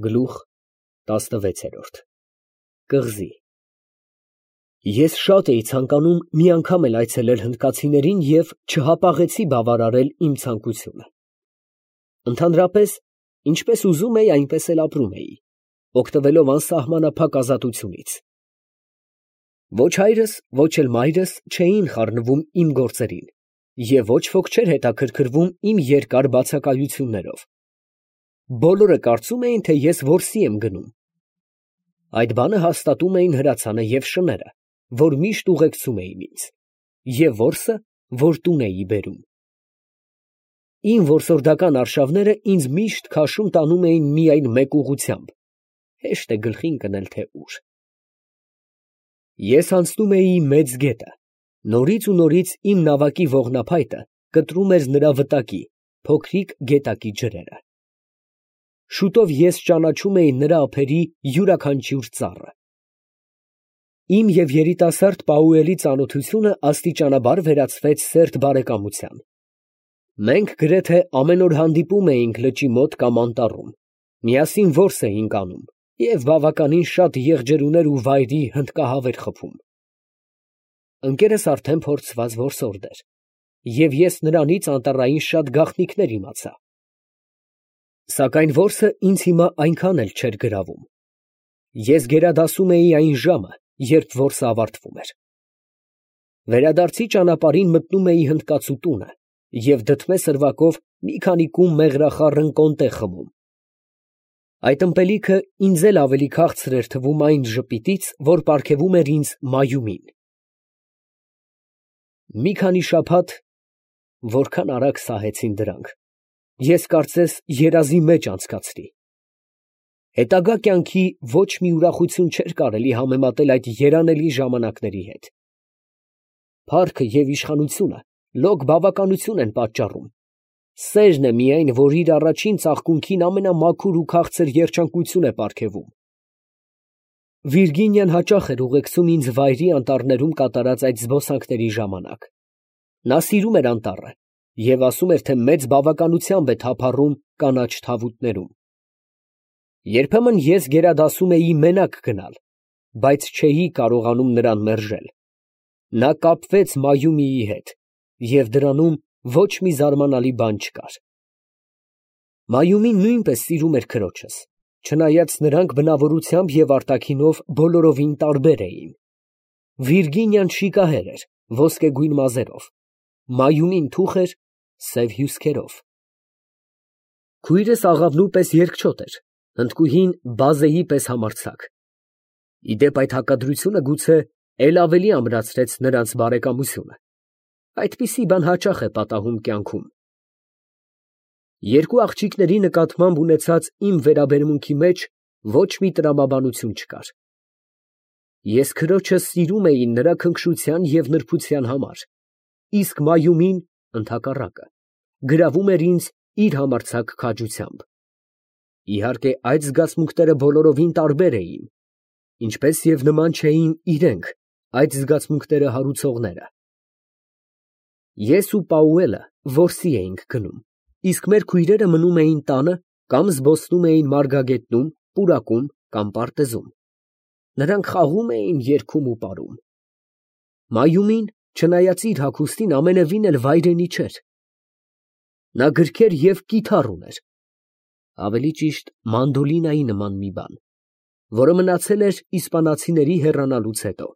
Գլուխ 16 Կղզի Ես շատ էի ցանկանում մի անգամ էլ այցելել հնդկացիներին և չհապաղեցի բավարարել իմ ցանկությունը։ Ընդհանրապես, ինչպես ուզում էի, այնպես էլ ապրում էի, օգտվելով անսահմանափակ ազատությունից։ Ոչ հայրս, ոչ էլ մայրս չէին խառնվում իմ գործերին և ոչ ոք չէր հետաքրքրվում իմ երկար բացակայություններով։ Բոլորը կարծում էին, թե ես որսի եմ գնում։ Այդ բանը հաստատում էին հրացանը և շները, որ միշտ ուղեկցում էին ինձ, և որսը, որ տուն էի բերում։ Իմ որսորդական արշավները ինձ միշտ քաշում տանում էին միայն մեկ ուղղությամբ, հեշտ է գլխին կնել, թե ուր։ Ես անցնում էի Մեծ գետը, նորից ու նորից իմ նավակի ողնափայտը կտրում էր նրա վտակի, փոքրիկ գետակի ջրերը։ Շուտով ես ճանաչում էի նրա ափերի յուրաքանչյուր ծառը։ Իմ և երիտասարդ Պաուելի ծանոթությունը աստիճանաբար վերածվեց սերտ բարեկամության։ Մենք գրեթե ամեն օր հանդիպում էինք լճի մոտ կամ անտառում, միասին որս էինք անում և բավականին շատ եղջերուներ ու վայրի հնդկահավեր խփում։ Ընկերս արդեն փորձված որսորդ էր, և ես նրանից անտառային շատ գաղտնիքներ իմացա։ Սակայն որսը ինձ հիմա այնքան էլ չէր գրավում։ Ես գերադասում էի այն ժամը, երբ որսը ավարտվում էր։ Վերադարձի ճանապարհին մտնում էի հնդկացու տունը և դդմե սրվակով մի քանի կում մեղրախառն կոնտե խմում։ Այդ ըմպելիքը ինձ էլ ավելի քաղցր էր թվում այն ժպիտից, որ պարգևում էր ինձ Մայումին։ Մի քանի շաբաթ (որքան արագ սահեցին դրանք) ես կարծես երազի մեջ անցկացրի։ Հետագա կյանքի ոչ մի ուրախություն չէր կարելի համեմատել այդ երանելի ժամանակների հետ։ Փառքը և իշխանությունը լոկ բավականություն են պատճառում, սերն է միայն, որ իր առաջին ծաղկունքին ամենամաքուր ու քաղցր երջանկություն է պարգևում։ Վիրգինիան հաճախ էր ուղեկցում ինձ վայրի անտառներում կատարած այդ զբոսանքների ժամանակ։ Նա սիրում էր անտառը և ասում էր, թե մեծ բավականությամբ է թափառում կանաչ թավուտներում։ Երբեմն ես գերադասում էի մենակ գնալ, բայց չէի կարողանում նրան մերժել։ Նա կապվեց Մայումիի հետ, և դրանում ոչ մի զարմանալի բան չկար։ Մայումին նույնպես սիրում էր քրոջս, չնայած նրանք բնավորությամբ և արտաքինով բոլորովին տարբեր էին։ Վիրգինիան շիկահեր էր, ոսկեգույն մազերով, Մայումին թուխ էր, սև հյուսքերով։ Քույրս աղավնու պես երկչոտ էր, հնդկուհին բազեի պես համարձակ։ Ի դեպ, այդ հակադրությունը գուցե էլ ավելի ամրացրեց նրանց բարեկամությունը։ Այդպիսի բան հաճախ է պատահում կյանքում։ Երկու աղջիկների նկատմամբ ունեցած իմ վերաբերմունքի մեջ ոչ մի տրամաբանություն չկար։ Ես քրոջս սիրում էի նրա քնքշության և նրբության համար, իսկ Մայումին, ընդհակառակը, գրավում էր ինձ իր համարձակ քաջությամբ։ Իհարկե, այդ զգացմունքները բոլորովին տարբեր էին, ինչպես և նման չէին իրենք, այդ զգացմունքները հարուցողները։ Ես ու Պաուելը որսի էինք գնում, իսկ մեր քույրերը մնում էին տանը կամ զբոսնում էին Մարգագետնում, պուրակում կամ պարտեզում։ Նրանք խաղում էին, երգում ու պարում։ Մայումին, չնայած իր հագուստին, ամենևին էլ վայրենի չէր։ Նա գրքեր և կիթառ ուներ, ավելի ճիշտ մանդոլինայի նման մի բան, որը մնացել էր իսպանացիների հեռանալուց հետո։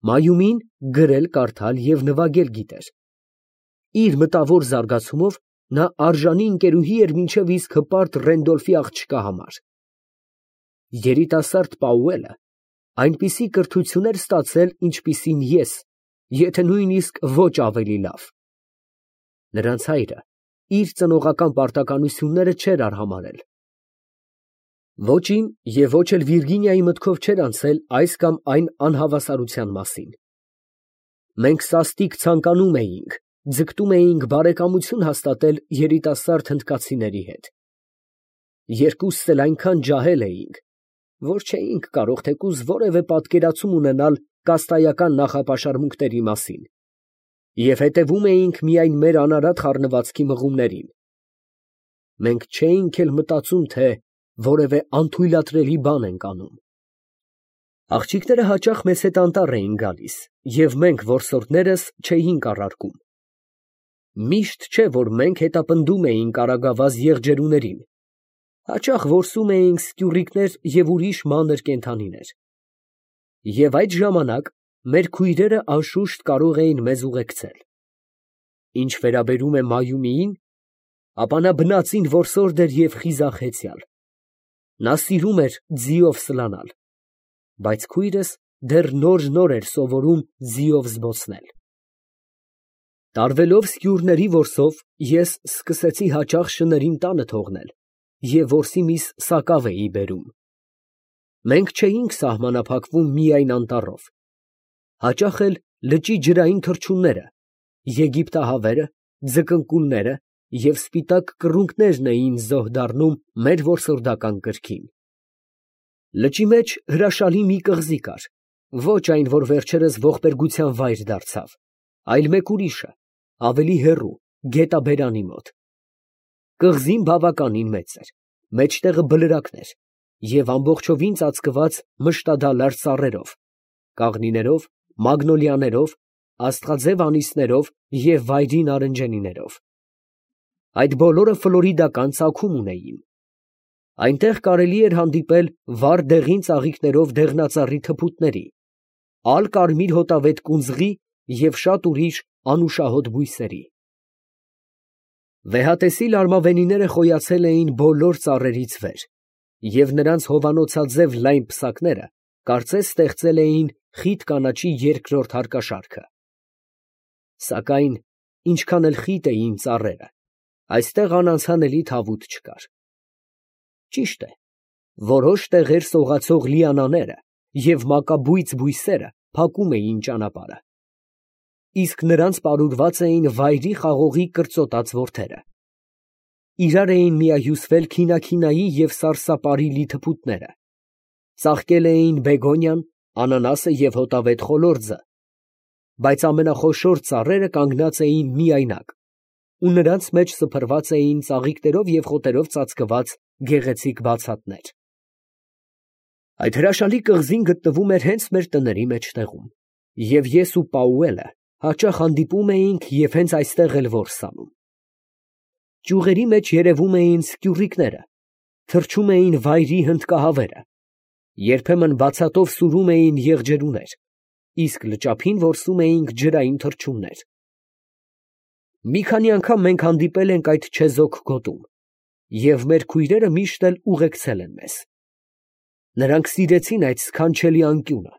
Մայումին գրել, կարդալ և նվագել գիտեր։ Իր մտավոր զարգացումով նա արժանի ընկերուհի էր մինչև իսկ հպարտ Ռենդոլֆի աղջկա համար։ Երիտասարդ Պաուելը այնպիսի կրթություն էր ստացել, ինչպիսին ես, եթե նույնիսկ ոչ ավելի լավ։ Նրանց հայրը իր ծնողական պարտականությունները չէր արհամարհել։ Ոչ իմ և ոչ էլ Վիրգինիայի մտքով չէր անցել այս կամ այն անհավասարության մասին։ Մենք սաստիկ ցանկանում էինք, ձգտում էինք բարեկամություն հաստատել երիտասարդ հնդկացիների հետ։ Երկուսս էլ այնքան ջահել էինք, որ չէինք կարող թեկուզ որևէ պատկերացում ունենալ կաստայական նախապաշարմունքների մասին և հետևում էինք միայն մեր անարատ խառնվածքի մղումներին։ Մենք չէինք էլ մտածում, թե որևէ անթույլատրելի բան ենք անում։ Աղջիկները հաճախ մեզ հետ անտառ էին գալիս, և մենք որսորդներս չէինք առարկում։ Միշտ չէ, որ մենք հետապնդում էինք արագավազ եղջերուներին, հաճախ որսում էինք սկյուռիկներ և ուրիշ մանր կենդանիներ։ Եվ այդ ժամանակ մեր քույրերը անշուշտ կարող էին մեզ ուղեկցել։ Ինչ վերաբերում է Մայումիին, ապա նա բնածին որսորդ էր և խիզախ հեծյալ։ Նա սիրում էր ձիով սլանալ, բայց քույրս դեռ նոր էր սովորում ձիով զբոսնել։ Տարվելով սկյուռների որսով, ես սկսեցի հաճախ շներին տանը թողնել և որսի միս սակավ էի բերում։ Մենք չէինք սահմանափակվում միայն անտառով, հաճախ էլ լճի ջրային թռչունները, եգիպտահավերը, ձկնկուլները և սպիտակ կռունկներն էին զոհ դառնում մեր որսորդական կրքին։ Լճի մեջ հրաշալի մի կղզի կար, ոչ այն, որ վերջերս ողբերգության վայր դարձավ, այլ մեկ ուրիշը, ավելի հեռու, գետաբերանի մոտ։ Կղզին բավականին մեծ էր, մեջտեղը բլրակն էր և ամբողջովին ծածկված մշտադալար ծառերով, կաղնիներով, մագնոլիաներով, աստղաձև անիսներով և վայրի նարնջենիներով։ Այդ բոլորը ֆլորիդական ծագում ունեին։ Այնտեղ կարելի էր հանդիպել վառ դեղին ծաղիկներով դեղնածառի թփուտների, ալ կարմիր հոտավետ կունձղի և շատ ուրիշ անուշահոտ բույսերի։ Վեհատեսիլ արմավենիները խոյացել էին բոլոր ծառերից վեր, և նրանց հովանոցաձև լայն պսակները կարծես ստեղծել էին խիտ կանաչի երկրորդ հարկաշարքը։ Սակայն ինչքան էլ խիտ էին ծառերը, այստեղ անանցանելի թավուտ չկար։ Ճիշտ է, որոշ տեղեր սողացող լիանաները և մակաբույծ բույսերը փակում էին ճանապարհը, իսկ նրանց պարուրված էին վայրի խաղողի կրծոտած որդերը։ Իրար էին միահյուսվել քինաքինայի և սարսափարիլի թփուտները, ծաղկել էին բեգոնիան, անանասը և հոտավետ խոլորձը, բայց ամենախոշոր ծառերը կանգնած էին միայնակ, ու նրանց մեջ սփռված էին ծաղիկներով և խոտերով ծածկված գեղեցիկ բացատներ։ Այդ հրաշալի կղզին գտնվում էր հենց մեր տների մեջտեղում, և ես ու Պաուելը հաճախ հանդիպում էինք և հենց այստեղ էլ որս անում։ Ճյուղերի մեջ երևում էին սկյուռիկները, թռչում էին վայրի հնդկահավերը, երբեմն բացատով սուրում էին եղջերուներ, իսկ լճափին որսում էինք ջրային թռչուններ։ Մի քանի անգամ մենք հանդիպել ենք այդ չեզոք գոտում, և մեր քույրերը միշտ էլ ուղեկցել են մեզ։ Նրանք սիրեցին այդ սքանչելի անկյունը։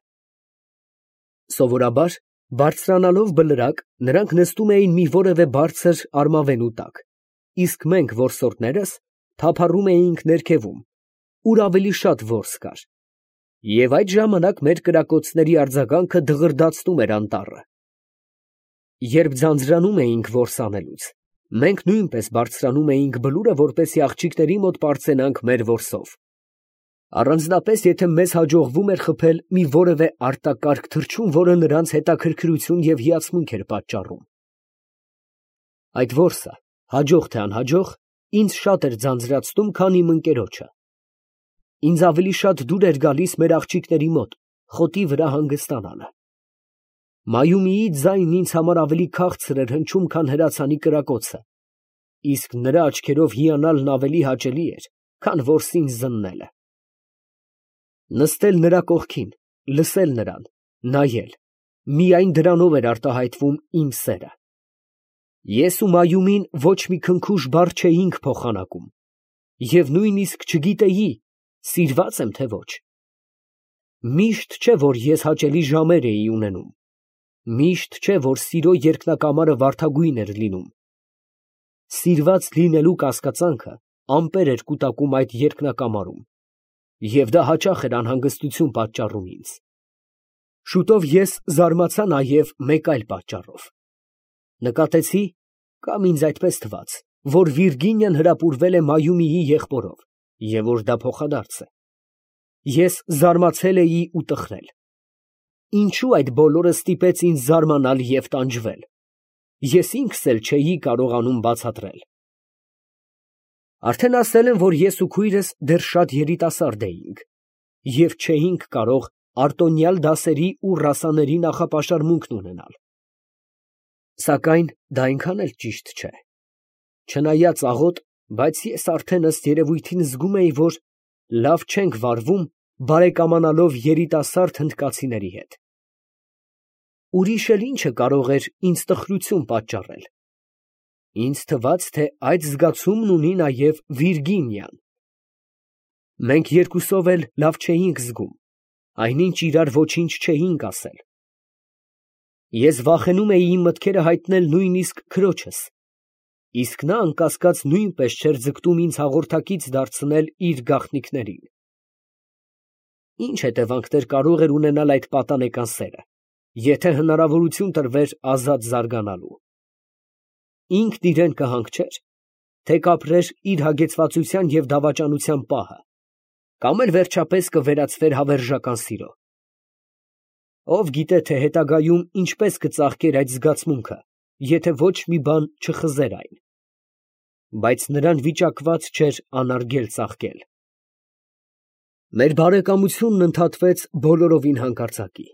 Սովորաբար, բարձրանալով բլրակ, նրանք նստում էին մի որևէ բարձր արմավենու տակ, իսկ մենք որսորդներս թափառում էինք ներքևում, ուր ավելի շատ որս կար, և այդ ժամանակ մեր կրակոցների արձագանքը դղրդացնում էր անտառը։ Երբ ձանձրանում էինք որս անելուց, մենք նույնպես բարձրանում էինք բլուրը, որպեսզի աղջիկների մոտ պարծենանք մեր որսով, առանձնապես եթե մեզ հաջողվում էր խփել մի որևէ արտակարգ թռչուն, որը նրանց հետաքրքրություն և հիացմունք էր պատճառում։ Այդ որսը, հաջող թե անհաջող, ինձ շատ էր ձանձրացնում, քան իմ ընկերոջը։ Ինձ ավելի շատ դուր էր գալիս մեր աղջիկների մոտ խոտի վրա հանգստանալը։ Մայումիի ձայնն ինձ համար ավելի քաղցր էր հնչում, քան հրացանի կրակոցը, իսկ նրա աչքերով հիանալն ավելի հաճելի էր, քան որսին զննելը։ Նստել նրա կողքին, լսել նրան, նայել, միայն դրանով էր արտահայտվում իմ սերը։ Ես ու Մայումին ոչ մի քնքուշ բառ չէինք փոխանակում, և նույնիսկ չգիտեի սիրվա՞ծ եմ, թե ոչ։ Միշտ չէ, որ ես հաճելի ժամեր էի ունենում, միշտ չէ, որ սիրո երկնակամարը վարդագույն էր լինում։ Սիրված լինելու կասկածանքը ամպեր էր կուտակում այդ երկնակամարում, և դա հաճախ էր անհանգստություն պատճառում ինձ։ Շուտով ես զարմացա նաև մեկ այլ պատճառով. նկատեցի, կամ ինձ այդպես թվաց, որ Վիրգինիան հրապուրվել է Մայումիի եղբորով, և որ դա փոխադարձ է։ Ես զարմացել էի ու տխրել։ Ինչո՞ւ այդ բոլորը ստիպեց ինձ զարմանալ և տանջվել։ Ես ինքս էլ չէի կարողանում բացատրել։ Արդեն ասել եմ, որ ես ու քույրս դեռ շատ երիտասարդ էինք և չէինք կարող արտոնյալ դասերի ու ռասաների նախապաշարմունքն ունենալ։ Սակայն դա այնքան էլ ճիշտ չէ։ Չնայած աղոտ, բայց ես արդեն ըստ երևույթին զգում էի, որ լավ չենք վարվում բարեկամանալով երիտասարդ հնդկացիների հետ։ Ուրիշ էլ ի՞նչը կարող էր ինձ տխրություն պատճառել։ Ինձ թվաց, թե այդ զգացումն ունի նաև Վիրգինիան։ Մենք երկուսով էլ լավ չէինք զգում, այնինչ իրար ոչինչ չէինք ասել։ Ես վախենում էի իմ մտքերը հայտնել նույնիսկ քրոջս, իսկ նա անկասկած նույնպես չէր ձգտում ինձ հաղորդակից դարձնել իր գաղտնիքներին։ Ինչ հետևանքներ կարող էր ունենալ այդ պատանեկան սերը, եթե հնարավորություն տրվեր ազատ զարգանալու։ Ինքն իրան կհանգչեր, թե կապրեր իր հագեցվածության և դավաճանության պահը, կամ էլ վերջապես կվերածվեր հավերժական սիրո։ Ով գիտե, թե հետագայում ինչպես կծաղկեր այդ զգացմունքը, եթե ոչ մի բան չխզեր այն։ Բայց նրան վիճակված չէր անարգել ծաղկել։ Մեր բարեկամությունն ընդհատվեց բոլորովին հանկարծակի։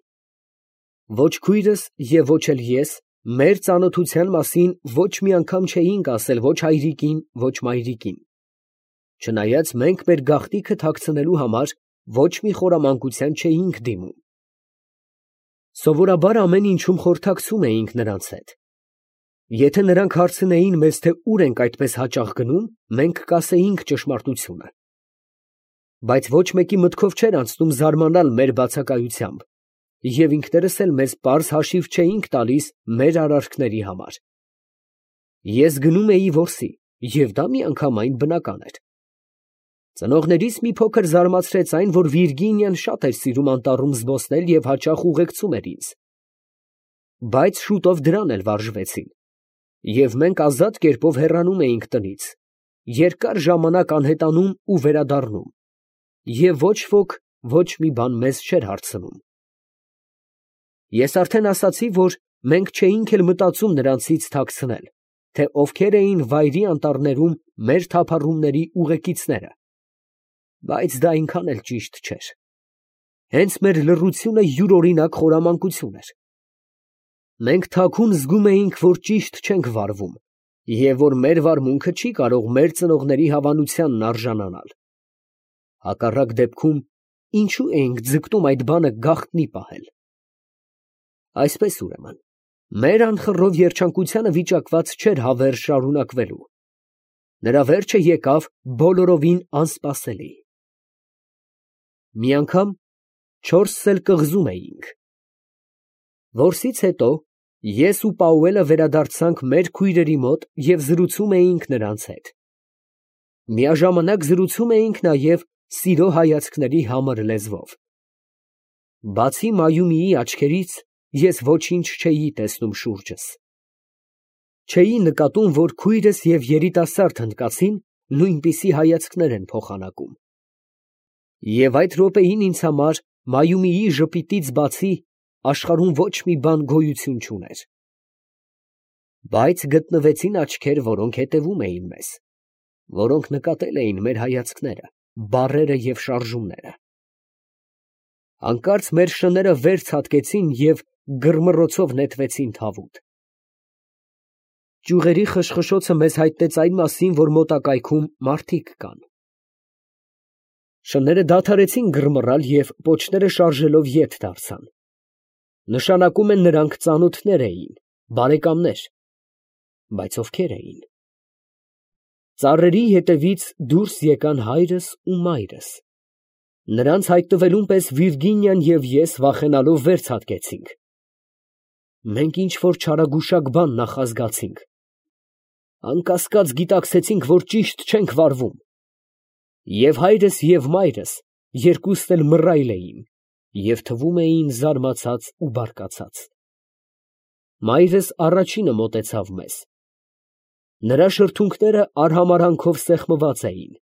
Ոչ քույրս և ոչ էլ ես մեր ծանոթության մասին ոչ մի անգամ չէինք ասել ոչ հայրիկին, ոչ մայրիկին, չնայած մենք մեր գաղտնիքը թաքցնելու համար ոչ մի խորամանկության չէինք դիմում։ Սովորաբար ամեն ինչում խորհրդակցում էինք նրանց հետ։ Եթե նրանք հարցնեին մեզ, թե ուր ենք այդպես հաճախ գնում, մենք կասեինք ճշմարտությունը։ Բայց ոչ մեկի մտքով չէր անցնում զարմանալ մեր բացակայությամբ, և ինքներս էլ մեզ պարզ հաշիվ չէինք տալիս մեր արարքների համար։ Ես գնում էի որսի, և դա միանգամայն բնական էր։ Ծնողներիս մի փոքր զարմացրեց այն, որ Վիրգինիան շատ էր սիրում անտառում զբոսնել և հաճախ ուղեկցում էր ինձ։ Բայց շուտով դրան էլ վարժվեցին, և մենք ազատ կերպով հեռանում էինք տնից, երկար ժամանակ անհետանում ու վերադառնում, և ոչ ոք ոչ մի բան մեզ չէր հարցնում։ Ես արդեն ասացի, որ մենք չէինք էլ մտածում նրանցից թաքցնել, թե ովքեր էին վայրի անտառներում մեր թափառումների ուղեկիցները, բայց դա այնքան էլ ճիշտ չէր։ Հենց մեր լռությունը յուրօրինակ խորամանկություն էր։ Մենք թաքուն զգում էինք, որ ճիշտ չենք վարվում, և որ մեր վարմունքը չի կարող մեր ծնողների հավանությանն արժանանալ։ Հակառակ դեպքում, ինչու էինք ձգտում այդ բանը գաղտնի պահել։ Այսպես ուրեմն, մեր անխռով երջանկությանը վիճակված չէր հավերժ շարունակվելու։ Նրա վերջը եկավ բոլորովին անսպասելի։ Մի անգամ չորսս էլ կղզում էինք։ Որսից հետո ես ու Պաուելը վերադարձանք մեր քույրերի մոտ և զրուցում էինք նրանց հետ։ Միաժամանակ զրուցում էինք նաև սիրո հայացքների համր լեզվով։ Բացի Մայումիի աչքերից ես ոչինչ չէի տեսնում շուրջս։ Չէի նկատում, որ քույրս և երիտասարդ հնդկացին նույնպիսի հայացքներ են փոխանակում։ Եվ այդ րոպեին ինձ համար Մայումիի ժպիտից բացի աշխարհում ոչ մի բան գոյություն չուներ։ Բայց գտնվեցին աչքեր, որոնք հետևում էին մեզ, որոնք նկատել էին մեր հայացքները, բառերը և շարժումները։ Հանկարծ մեր շները վեր ցատկեցին և գրմռոցով նետվեցին թավուտ։ Ճյուղերի խշխշոցը մեզ հայտնեց այն մասին, որ մոտակայքում մարդիկ կան։ Շները դադարեցին գրմռալ և պոչները շարժելով ետ դարձան։ Նշանակում է նրանք ծանոթներ էին, բարեկամներ, բայց ովքեր էին։ Ծառերի ետևից դուրս եկան հայրս ու մայրս։ Նրանց հայտնվելուն պես Վիրգինիան և ես վախենալով վեր ցատկեցինք։ Մենք ինչ֊որ չարագուշակ բան նախազգացինք։ Անկասկած գիտակցեցինք, որ ճիշտ չենք վարվում։ Եվ հայրս, և մայրս երկուսն էլ մռայլ էին և թվում էին զարմացած ու բարկացած։ Մայրս առաջինը մոտեցավ մեզ։ Նրա շրթունքները արհամարհանքով սեղմված էին։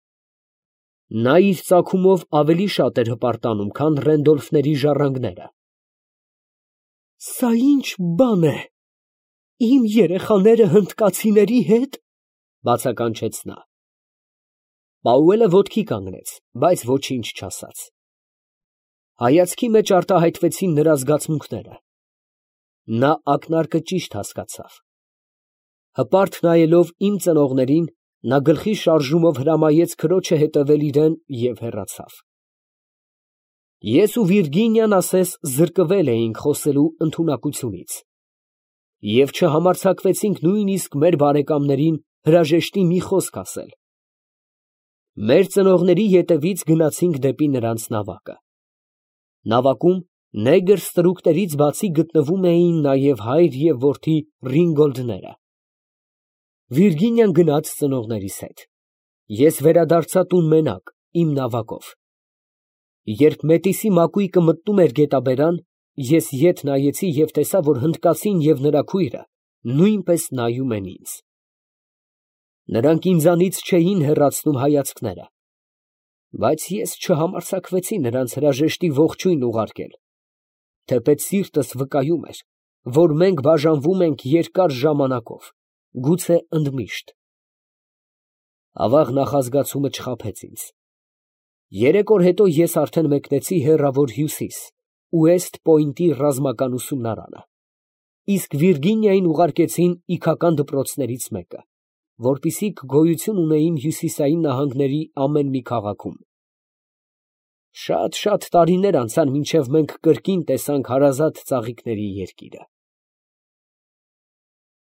Նա իր ծագումով ավելի շատ էր հպարտանում, քան Ռենդոլֆների ժառանգները։ «Սա ի՞նչ բան է, իմ երեխաները հնդկացիների հետ» բացականչեց նա։ Պաուելը ոտքի կանգնեց, բայց ոչինչ չասաց։ Հայացքի մեջ արտահայտվեցին նրա զգացմունքները։ Նա ակնարկը ճիշտ հասկացավ։ Հպարտ նայելով իմ ծնողներին, նա գլխի շարժումով հրամայեց քրոջը հետևել իրան և հեռացավ։ Ես ու Վիրգինիան ասես զրկվել էինք խոսելու ընդունակությունից և չհամարձակվեցինք նույնիսկ մեր բարեկամներին հրաժեշտի մի խոսք ասել։ Մեր ծնողների ետևից գնացինք դեպի նրանց նավակը։ Նավակում նեգր ստրուկներից բացի գտնվում էին նաև հայր և որդի Ռինգոլդները։ Վիրգինիան գնաց ծնողներիս հետ։ Ես վերադարձա տուն մենակ, իմ նավակով։ Երբ Մետիսի մակույկը մտնում էր գետաբերան, ես ետ նայեցի և տեսա, որ հնդկացին և նրա քույրը նույնպես նայում են ինձ։ Նրանք ինձանից չէին հեռացնում հայացքները, բայց ես չհամարձակվեցի նրանց հրաժեշտի ողջույն ուղարկել, թեպետ սիրտս վկայում էր, որ մենք բաժանվում ենք երկար ժամանակով, գուցե ընդմիշտ։ Ավաղ նախազգացումը չխաբեց ինձ։ 3 օր հետո ես արդեն մեկնեցի հեռավոր Հյուսիս, Ուեստ Պոինտի ռազմական ուսումնարանը, իսկ Վիրգինիային ուղարկեցին իգական դպրոցներից մեկը, որպեսզի գոյություն ունենային հյուսիսային նահանգների ամեն մի քաղաքում։ Շատ տարիներ անցան, մինչև մենք կրկին տեսանք հարազատ ծաղիկների երկիրը։